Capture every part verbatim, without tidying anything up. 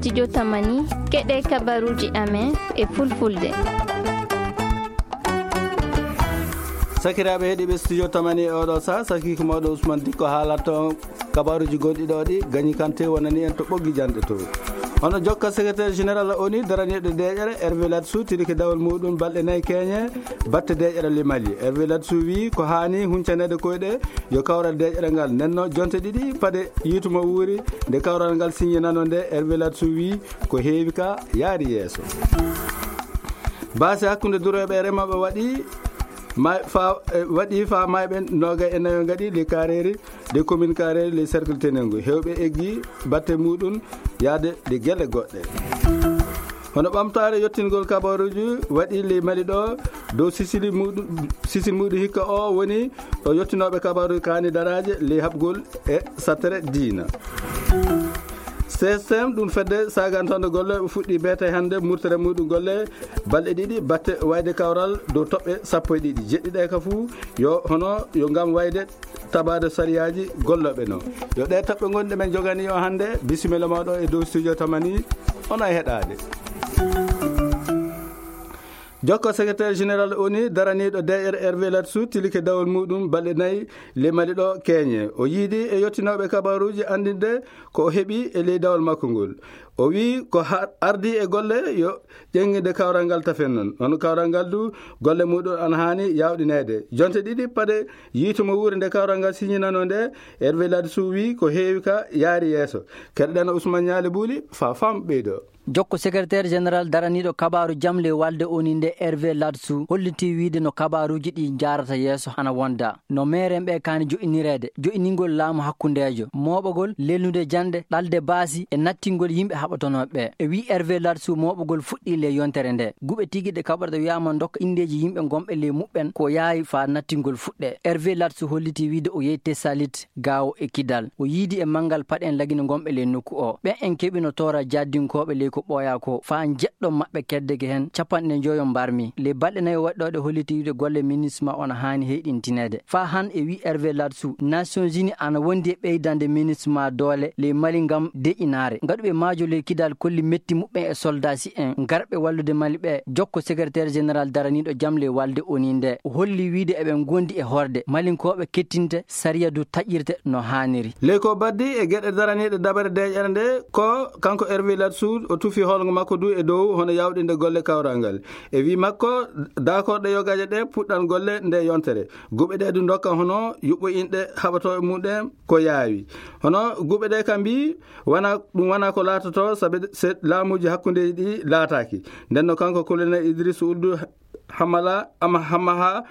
Studio Tamani, keɗe kabaruji amen e fulfulde. Sakiraaɓe heɗiiɓe Studio Tamani e oɗo saha, sakiiko mawɗo Ousmane Dikko haalatto on kabaruji gonɗi ɗo ɗi, Gagny Kanté wonani en to ɓoggi janɗe to. Hono jokka secrétaire général O N U daraniiɗo deeƴere, Hervé Ladsou, tilike dawol muɗum balɗe nayi keñe, batte deeƴere le Mali. Hervé Ladsou wi ko haani huncaneede koyɗe yo kawral deeƴere ngal. Nden no jonte ɗiɗi pade yiitu mo wuuri nde kawral ngal siññinano nde, Hervé Ladsou wi ko heewi ka yaari yeeso. Baasi hakkunde durooɓe e remooɓe waɗi ma-, fa-, e, waɗi fa mayɓe noogay e nayo ngaɗi le Kareeri, le commune Kareeri, le cercle Tenengu. Heewɓe eggi batte muɗum yaade le gelle goɗɗe. Hono ɓamtaare yottingol kabaruji waɗi le Mali ɗo dow sisili muɗum, sisil muɗum hikka o woni o yottinooɓe kabaruji kaani daraaje le haɓgol e sattere diina. C S M, ɗum fedde sagantonde golle, o fuɗɗi beete hannde murtere muɗum golle balɗe ɗiɗi batte wayde kawral dow toɓɓe sappo e ɗiɗi. Jeɗɗi ɗe ka fuu yo hono yo ngam wayde tabaade sariyaaji gollooɓe no. Yo ɗe toɓɓe ngonɗe men jogani o hannde, bisimilla mawɗo e dow Studio Tamani, on ay heɗaade. Jokko secrétaire général O N U daraniiɗo deeƴere Hervé Ladsou tilike dawol muɗum balɗe nayi le Mali ɗo keñe. O yiidi e yottinooɓe kabaruji anndinde ko o heɓi e ley dawol makko ngol. O wi ko ha-, ardi e golle yo ƴeŋŋide kawral ngal tafen noon. Hono kawral ngal du golle muɗum ana haani yawɗineede. Jonte ɗiɗi pade yiitu mo wuuri nde kawral ngal siñinano nde, Hervé Ladsou wi ko heewi ka yaari yeeso. Keɗoɗen Ousmane Ñaali Buuli fa fam ɓeydo. Jokko secrétaire général daraniiɗo kabaaru jam le walde O N U nde Hervé Ladsou holliti wiide no kabaaruji ɗi njaarata yeeso ana wonda. No meeren ɓe kaani joƴinireede, joƴiningol laamu hakkundeejo, mooɓagol, lelnude janɗe, ɗalde baasi e nattingol yimɓe haɓatonooɓe ɓe. E wi Hervé Ladsou mooɓagol fuɗɗii le yontere nde. Guɓe tigi ɗe kaɓorɗe wiyaama ndokka inndeeji yimɓe gonɓe le muɓɓen ko yaawi faa nattingol fuɗɗe. Hervé Ladsou holliti wiide o yehi Tessalit, Gaawo e Kidal. O yiidi e manngal paɗen lagine gonɓe le nokku o. Ɓen en keɓino toora jaddinkooɓe le ko ɓooya ko faa njeɗɗo maɓɓe keddeke heen capanɗe njoyo mbarmi. Le balɗe nayo waɗɗooɗe holliti wiide golle MINUSMA ona haani heyɗintineede. Faa han e wi Hervé Ladsou, Nations Unies ana wondi e ɓeydande MINUSMA doole ley Mali ngam deƴinaare. Ngaɗuɓe maajo ley Kidal kolli metti muɓɓen e soldasi en garɓe wallude Mali ɓe. Jokko secrétaire général daraniiɗo jam ley walde O N U nde. O holli wiide eɓe ngondi e horde. Malinkooɓe kettinte, sariya du taƴirte no haaniri. Ley ko baddi e geɗe daraniiɗe dabare deeƴere nde, ko kanko Hervé Ladsou o tufi hoolngo makko du e dow hono yawɗinde golle kawral ngal. E wi makko, daakorɗe yogaje ɗe puɗɗan golle nde yontere. Guɓe ɗe du ndokka hono yuɓɓo inɗe haɓatooɓe muɗum ko yaawi. Hono guɓe ɗe kam mbi, wana, ɗum wana ko laatoto, sabe se laamuji hakkundeji ɗi laataaki. Nden no kanko colonel Idriss Ould Hamala, ama Hamaha,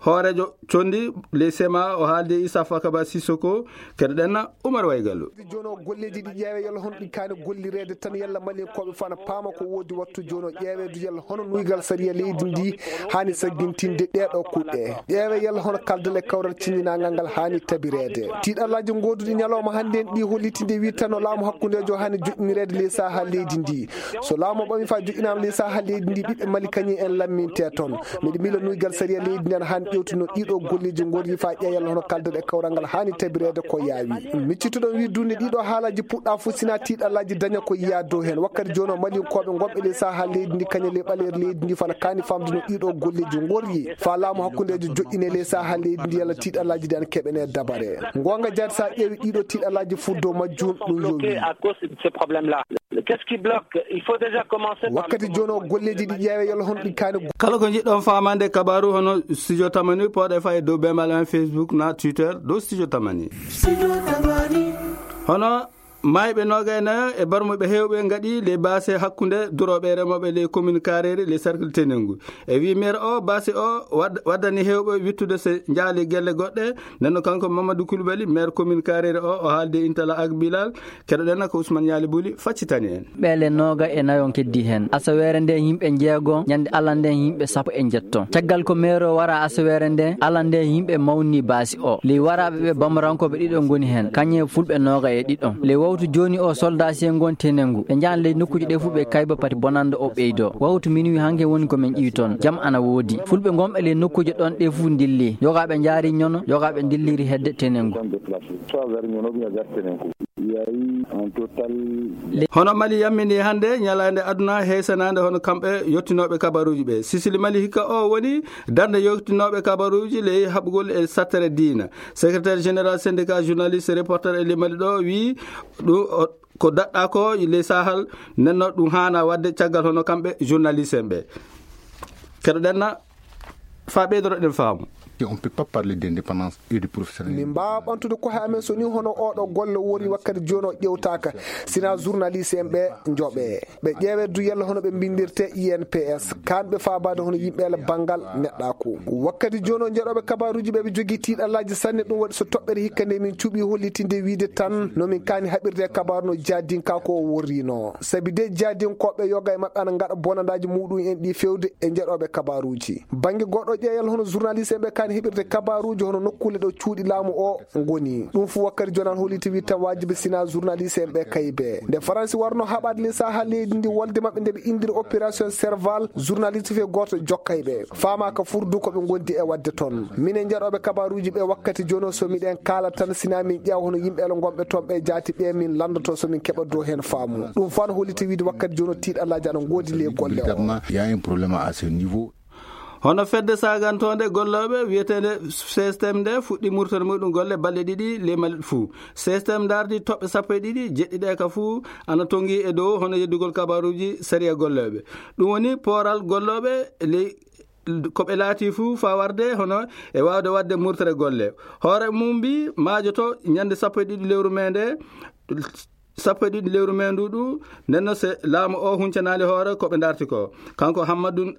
hooreejo condi ley sema, o haaldi e Issa Fakaba Sissoko, keɗoɗen Umar Waygallo. Jono golleji ɗi ƴeewe yalla hono ɗi kaani gollireede tan yalla Malinkooɓe fana paama ko woodi wattu jono ƴeewe du yalla hono nuygal sariya leydi ndi haani saggintinde ɗeeɗo kuɗɗe. Ƴeewe yalla hono kaldal e kawral ciññinangal ngal haani tabireede. Tiiɗallaaji gooduɗi ñalawma hannde en ɗi holliti nde wittano laamu hakkundeejo haani joƴƴinireede ley saha leydi ndi. So laamu ɓami faa joƴƴinaama ley saha leydi ndi, ɓiɓɓe Mali kañum en lamminte toon. Miɗo miila nuygal sariya leydi ndi ana haani ƴewtuno ɗiɗo golleji ngorri faa ƴeewa yalla hono kaldal e kawral ngal haani tabireede ko yaawi. Miccituɗon wiide du nde ɗiɗo haalaji puɗɗa fof sina tiiɗallaaji daña ko yiya dow heen. Wakkati jooni o Malinkooɓe gonɓe ley saha leydi ndi kañum ley ɓaleeri leydi ndi fana kaani famduno ɗiɗo golleji ngorri. Faa laamu hakkundeejo joƴƴine ley saha leydi ndi yalla tiiɗallaaji ɗi ana keɓene dabare. Ngonga jaati sa ƴeewi ɗiɗo tiiɗallaaji fof dow majjum ɗum yowi. Qu'est-ce qui bloque? Il faut déjà commencer par le commencement. Wakkati jooni o golleji ɗi ƴeewe yalla hono ɗi kaani. Kala ko njiɗɗon faamande kabaaru hono Studio Tamani, pooɗe faa e dow bembaal amen Facebook na Twitter dow Studio Tamani. Hono maayɓe noogay nayo e barmuɓe heewɓe ngaɗi ley baase hakkunde durooɓe e remooɓe ley commune Kareeri ley cercle Tenengu. E wi maire o, baasi o wad-, waddani heewɓe wittude se njaali gelle goɗɗe. Nden no kanko Mamadou Coulibaly, maire commune Kareeri o, o haaldi e Intala ak Bilal. Keɗoɗen ko Ousmane Ñaali Buli faccitani en. Ɓeele nooga e nayo keddi heen. Asaweere nde yimɓe njeego, ñande Allah nde yimɓe sappo e njetto. Caggal ko maire o wara asaweere nde, Allah nde yimɓe mawni baasi o. Ley waraaɓe ɓe bamarankooɓe ɗiɗo ngoni heen, kañum e fulɓe nooga e ɗiɗo. Ley wawtu jooni o soldasiye ngon Tenengu. Ɓe njahan ley nokkuuji ɗe fof ɓe kayba pati bonannde o ɓeydo. Wawtu minuwi hanke woni ko min ƴiwi toon. Jam ana woodi. Fulɓe gonɓe ley nokkuuji ɗon ɗe fof ndilli. Yogaaɓe njaari ñono, yogaaɓe ndilliri hedde Tenengu. Hono Mali yammini hannde ñalaande aduna heesanaande hono kamɓe yottinooɓe kabaruuji ɓe. Sisili Mali hikka o woni darnde yottinooɓe kabaruuji ley haɓugol e sattere diina. Secrétaire général syndicat journaliste reporter e ley Mali ɗo wi ɗum o- ko daɗɗa ko ley Sahel, nenno ɗum haana waɗde caggal hono kamɓe journaliste en ɓe. Keɗoɗen na fa ɓeydoroɗen faamu. Et on peut pas parler d'indépendance et de professionnalisme. Min mbaawa ɓamtude koye amen so ni hono oɗo golle wori wakkati jooni o ƴewtaaka, sina journaliste en ɓe njoɓe. Ɓe ƴeewe du yalla hono ɓe mbindirte I N P S, kaan ɓe faabaade hono yimɓe ele banngal neɗɗaaku. Wakkati jooni o njeɗooɓe kabaaruuji ɓe ɓe jogii tiiɗallaaji sanne, ɗum waɗi so toɓɓere hikka nde min cuɓii hollitinde wiide tan no min kaani haɓirde e kabaaru no jaadinkaaku o worrino. Sabi de jaadinkooɓe yoga e maɓɓe ana ngaɗa bonandaaji muɗum en ɗi fewde e njeɗooɓe kabaaruuji. Bannge goɗɗo ƴeeyal hono journaliste en ɓe kaani heɓirde kabaaruuji hono nokkuule ɗo cuuɗi laamu o ngoni. Ɗum fu wakkati jooni ana holliti wi tan waajibi sina journaliste en ɓe kaybe. Nde Faransi warno haɓaade ley Sahel leydi ndi wolde maɓɓe nde ɓe indiri opération Serval, journaliste fe gooto jokkay ɓe. Faamaaka fur du ko ɓe ngondi e waɗde toon. Minen njeɗooɓe kabaaruuji ɓe wakkati jooni o so miɗen kaala tan sina min ƴeewa hono yimɓe ele ngonɓe toon ɓe jaati ɓe min lanndoto so min keɓa dow heen faamu. Ɗum fu ana holliti wiide wakkati jooni o tiiɗallaaji ana ngoodi ley golle o. Véritablement, il y a un problème à ce niveau. Hono fedde sagantoonde gollooɓe wiyeteende C S T M nde fuɗɗi murtere muɗum golle balɗe ɗiɗi ley Mali fuu. C S T M ndaardi toɓɓe sappo e ɗiɗi, jeɗɗi ɗe ka fuu ana tongi e dow hono yeddugol kabaaruuji sariya gollooɓe. Ɗum woni pooral gollooɓe ley ko ɓe laati fuu faa warde hono e waawde waɗde murtere golle. Hoore mum mbi maajoto ñande sappo e ɗiɗi lewru mee nde, sappo e ɗiɗi lewru mee ndu ɗu, nden no se laamu o huncanaali hoore ko ɓe ndarti ko. Kanko Hammadun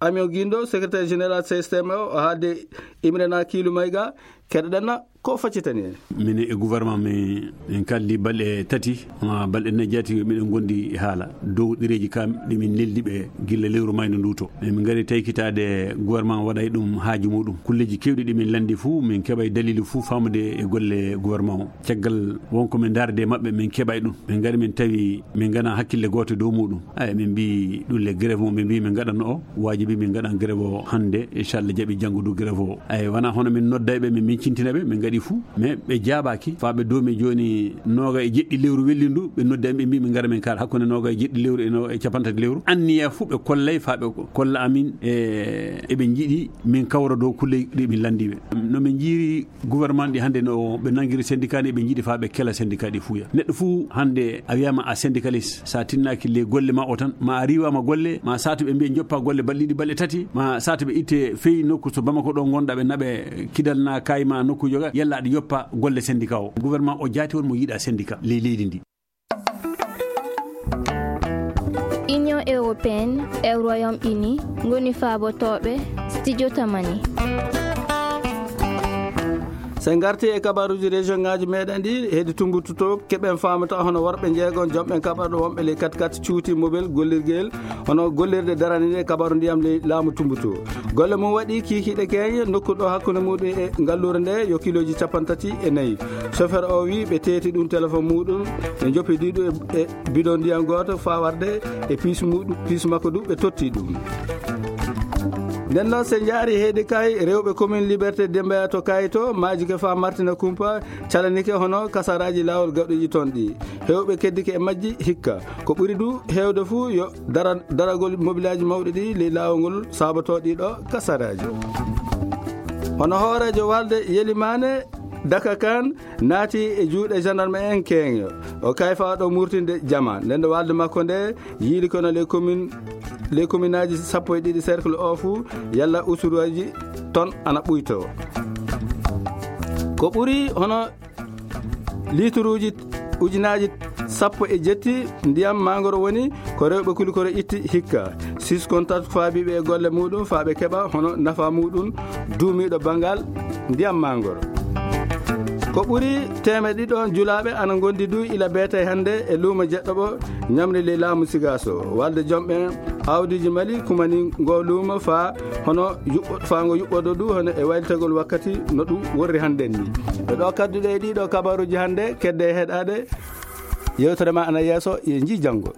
Amion Gindo, secrétaire général C S T M o, o haalde Imrena Kiilu Mayga, keɗoɗen na ko faccitani en. Minen e gouvernement men, en kaldi balɗe tati, ma balɗe nayi jaati miɗen gondi e haala dow ɗereeji kam ɗi min neldi ɓe gilla lewru mayndo ndu to. Min ngari taykitaade gouvernement waɗay ɗum haaju muɗum. Kulleeji kewɗi ɗi min landi fuu, min keɓay dalilu fuu faamude e golle gouvernement o. Caggal wonko min ndaarde e maɓɓe, min keɓay ɗum. Min ngari min tawi min ngana hakkille gooto dow muɗum. Ay, min mbi ɗum le grève mo min mbi min ngaɗanno o, waajibi min ngaɗan grève o hannde, inchallah jaɓi janngo du grève o. Ay, wana hono min nodday ɓe, min, min cintina ɓe, min ngaɗi fuu, mais ɓe jaabaaki. Faa ɓe doomi jooni nooga e jeɗɗi lewru wellindu, ɓe noddi am, ɓe mbi min ngara min kaala hakkunde nooga e jeɗɗi lewru e no, e capantati lewru. Anniya fuu ɓe kollay, faa ɓe ko-, kolla amin, e, eɓe njiɗi min kawra dow kulle ɗi min landi ɓe. No min njiiri gouvernement ɗi hannde no ɓe nangiri syndicat ni, ɓe njiɗi faa ɓe kela syndicat ɗi fuuya. Neɗɗo fuu hannde a wiyama a syndicaliste, sa tinnaaki le golle ma o tan, ma a riiwama golle, ma saatu ɓe mbiya joppa golle balɗe ɗiɗi, balɗe tati, ma saatu ɓe itte feyi nokku so Bamako ɗo ngonɗa, ɓe naɓe kidal na kayi ma nokku joga, yalla aɗa yoppa golle syndicat o. Gouvernement o jaati won mo yiɗa syndicat ley leydi ndi. Union européenne e Royaume-Uni ngoni faabotooɓe Studio Tamani. So en ngarti e kabaruuji région ŋaaji meɗen ɗi, hedi Tumbuktu to, keɓen faamata hono worɓe njeegon jomɓen kaɓarɗo wonɓe ley kat kat cuuti mobel gollirgel hono gollirde daraniiɗe kabaru ndiyam ley laamu Tumbuktu. Golle mum waɗi kiikiiɗe keeñe, nokku ɗo hakkunde muɗum e ngalluure nde yo kilooji capanɗe tati e nayi. Chauffeur o wi ɓe teeti ɗum téléphone muɗum, ɓe joppi ɗiɗo e, e bidon ndiyam gooto faa warde e piis muɗum, piis makko du ɓe totti ɗum. Nden noon, so en njaari heedi kay rewɓe commune Liberté Demba to Kayto, maaji ke faa Martina Kumpa, calanike hono kasaraaji laawol gaɗuji toon ɗi. Heewɓe keddike e majji hikka. Ko ɓuri du heewde fuu yo dara-, daragol mobilaaji mawɗi ɗi ley laawol ngol saabotoo ɗi ɗo kasaraaji. Hono hooreejo walde Yelimaane Daka Kan naati e juuɗe gendarme en keeŋo. O kayfa ɗo murtinde jama. Nden ɗo walde makko nde yiili kono les communes, les communaaji sappo e ɗiɗi cercle o fuu yalla usuruuji toon ana ɓuytoo. Ko ɓuri hono liituruuji ujunaaji sappo e jetti ndiyam mangoro woni ko rewɓe kulikoro itti hikka. Siskon tatu faabiiɓe e golle muɗum faa ɓe keɓa hono nafa muɗum duumiiɗo banngal ndiyam mangoro. Ko ɓuri teemeɗe ɗiɗo julaaɓe ana ngondi du ila beetay hannde e luumo jeɗɗo ɓo ñamri ley laamu Sigaaso. Walde jomɓe aawdiiji Mali kumani ngo luumo faa hono yuɓɓo-, faa ngo yuɓɓodo du hono e waylitagol wakkati no ɗum worri hannde ni. E ɗo kadduɗe e ɗiɗo kabaruuji hannde, kedde e heɗaade. Yewtere ma ana yeeso, ye njii janngo.